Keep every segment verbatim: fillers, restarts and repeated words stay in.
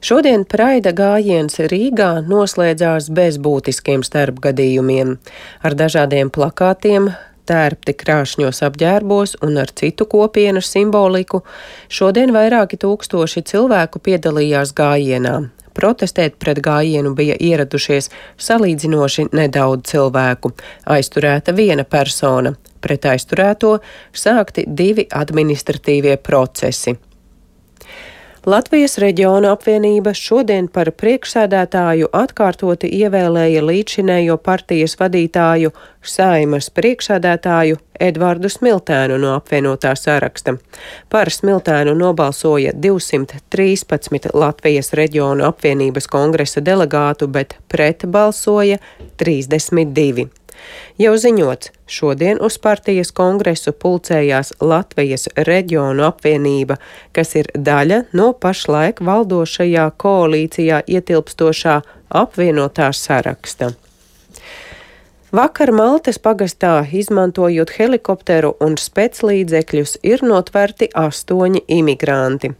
Šodien Praida gājiens Rīgā noslēdzās bez būtiskiem starpgadījumiem. Ar dažādiem plakātiem, tērpti krāšņos apģērbos un ar citu kopienas simboliku, šodien vairāki tūkstoši cilvēku piedalījās gājienā. Protestēt pret gājienu bija ieradušies salīdzinoši nedaudz cilvēku. Aizturēta viena persona. Pret aizturēto sākti divi administratīvie procesi. Latvijas Reģionu apvienība šodien par priekšsēdētāju atkārtoti ievēlēja līdzšinējo partijas vadītāju, Saeimas priekšsēdētāju Edvardu Smiltēnu no apvienotā saraksta. Par Smiltēnu nobalsoja divsimt trīspadsmit Latvijas Reģionu apvienības kongresa delegātu, bet pret balsoja trīsdesmit divi. Jau ziņots, šodien uz partijas kongresu pulcējās Latvijas Reģionu apvienība, kas ir daļa no pašlaik valdošajā koalīcijā ietilpstošā apvienotā saraksta. Vakar Maltes pagastā, izmantojot helikopteru un speclīdzekļus, ir notverti astoņi imigranti.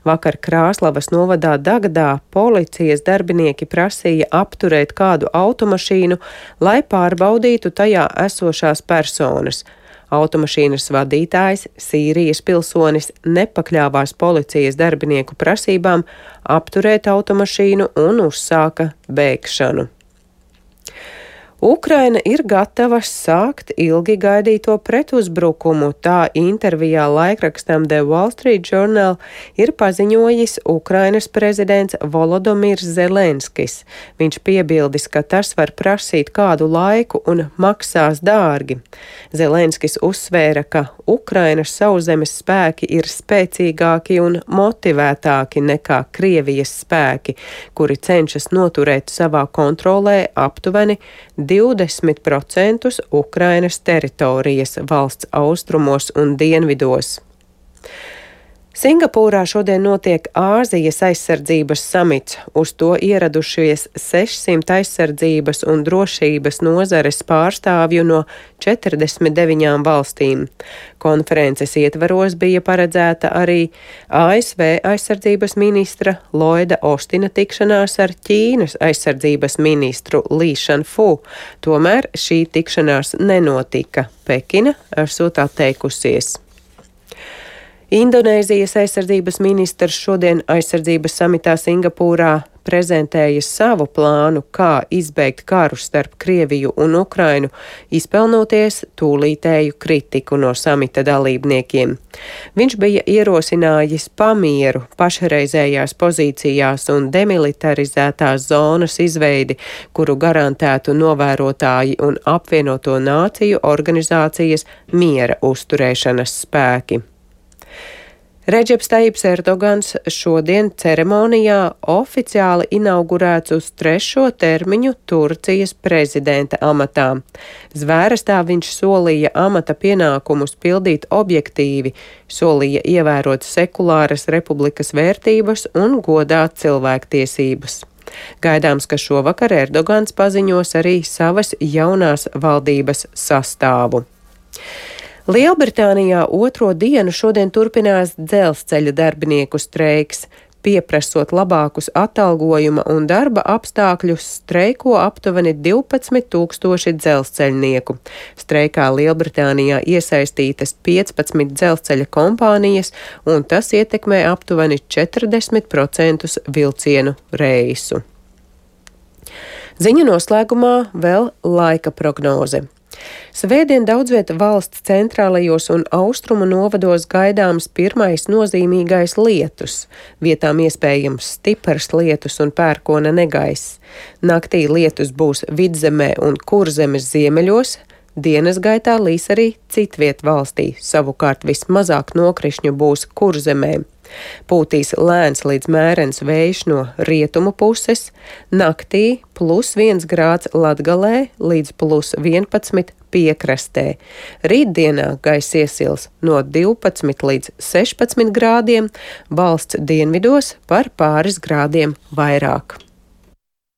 Vakar Krāslavas novadā Dagadā policijas darbinieki prasīja apturēt kādu automašīnu, lai pārbaudītu tajā esošās personas. Automašīnas vadītājs, Sīrijas pilsonis, nepakļāvās policijas darbinieku prasībām apturēt automašīnu un uzsāka bēgšanu. Ukraina ir gatava sākt ilgi gaidīto pretuzbrukumu, tā intervijā laikrakstam The Wall Street Journal ir paziņojis Ukrainas prezidents Volodomīrs Zelenskis. Viņš piebildis, ka tas var prasīt kādu laiku un maksās dārgi. Zelenskis uzsvēra, ka Ukrainas sauszemes spēki ir spēcīgāki un motivētāki nekā Krievijas spēki, kuri cenšas noturēt savā kontrolē aptuveni divdesmit procentus Ukrainas teritorijas valsts austrumos un dienvidos. Singapūrā šodien notiek Āzijas aizsardzības samits. Uz to ieradušies sešsimt aizsardzības un drošības nozares pārstāvju no četrdesmit deviņām valstīm. Konferences ietvaros bija paredzēta arī A S V aizsardzības ministra Lloyda Austina tikšanās ar Ķīnas aizsardzības ministru Li Shanfu. Tomēr šī tikšanās nenotika. Pekina esot atteikusies. Indonēzijas aizsardzības ministrs šodien aizsardzības samitā Singapūrā prezentēja savu plānu, kā izbeigt karu starp Krieviju un Ukrainu, izpelnoties tūlītēju kritiku no samita dalībniekiem. Viņš bija ierosinājis pamieru pašreizējās pozīcijās un demilitarizētās zonas izveidi, kuru garantētu novērotāji un apvienoto nāciju organizācijas miera uzturēšanas spēki. Redžeps Tajips Erdogans šodien ceremonijā oficiāli inaugurēts uz trešo termiņu Turcijas prezidenta amatā. Zvērestā viņš solīja amata pienākumus pildīt objektīvi, solīja ievērot sekulāras republikas vērtības un godāt cilvēktiesības. Gaidāms, ka šovakar Erdogans paziņos arī savas jaunās valdības sastāvu. Lielbritānijā otro dienu šodien turpinās dzelzceļa darbinieku streiks. Pieprasot labākus atalgojuma un darba apstākļus, streiko aptuveni divpadsmit tūkstoši dzelzceļnieku. Streikā Lielbritānijā iesaistītas piecpadsmit dzelzceļa kompānijas, un tas ietekmē aptuveni četrdesmit procentus vilcienu reisu. Ziņu noslēgumā vēl laika prognoze. Svētdien daudzviet valsts centrālajos un austrumu novados gaidāms pirmais nozīmīgais lietus. Vietām iespējams stiprs lietus un pērkona negaiss. Naktī lietus būs Vidzemē un Kurzemes ziemeļos. Dienas gaitā līs arī citviet valstī, savukārt vismazāk nokrišņu būs Kurzemē. Pūtīs lēns līdz mērens vējš no rietumu puses, naktī plus viens grāds Latgalē līdz plus vienpadsmit piekrastē. Rītdienā gaiss iesils no divpadsmit līdz sešpadsmit grādiem, valsts dienvidos par pāris grādiem vairāk.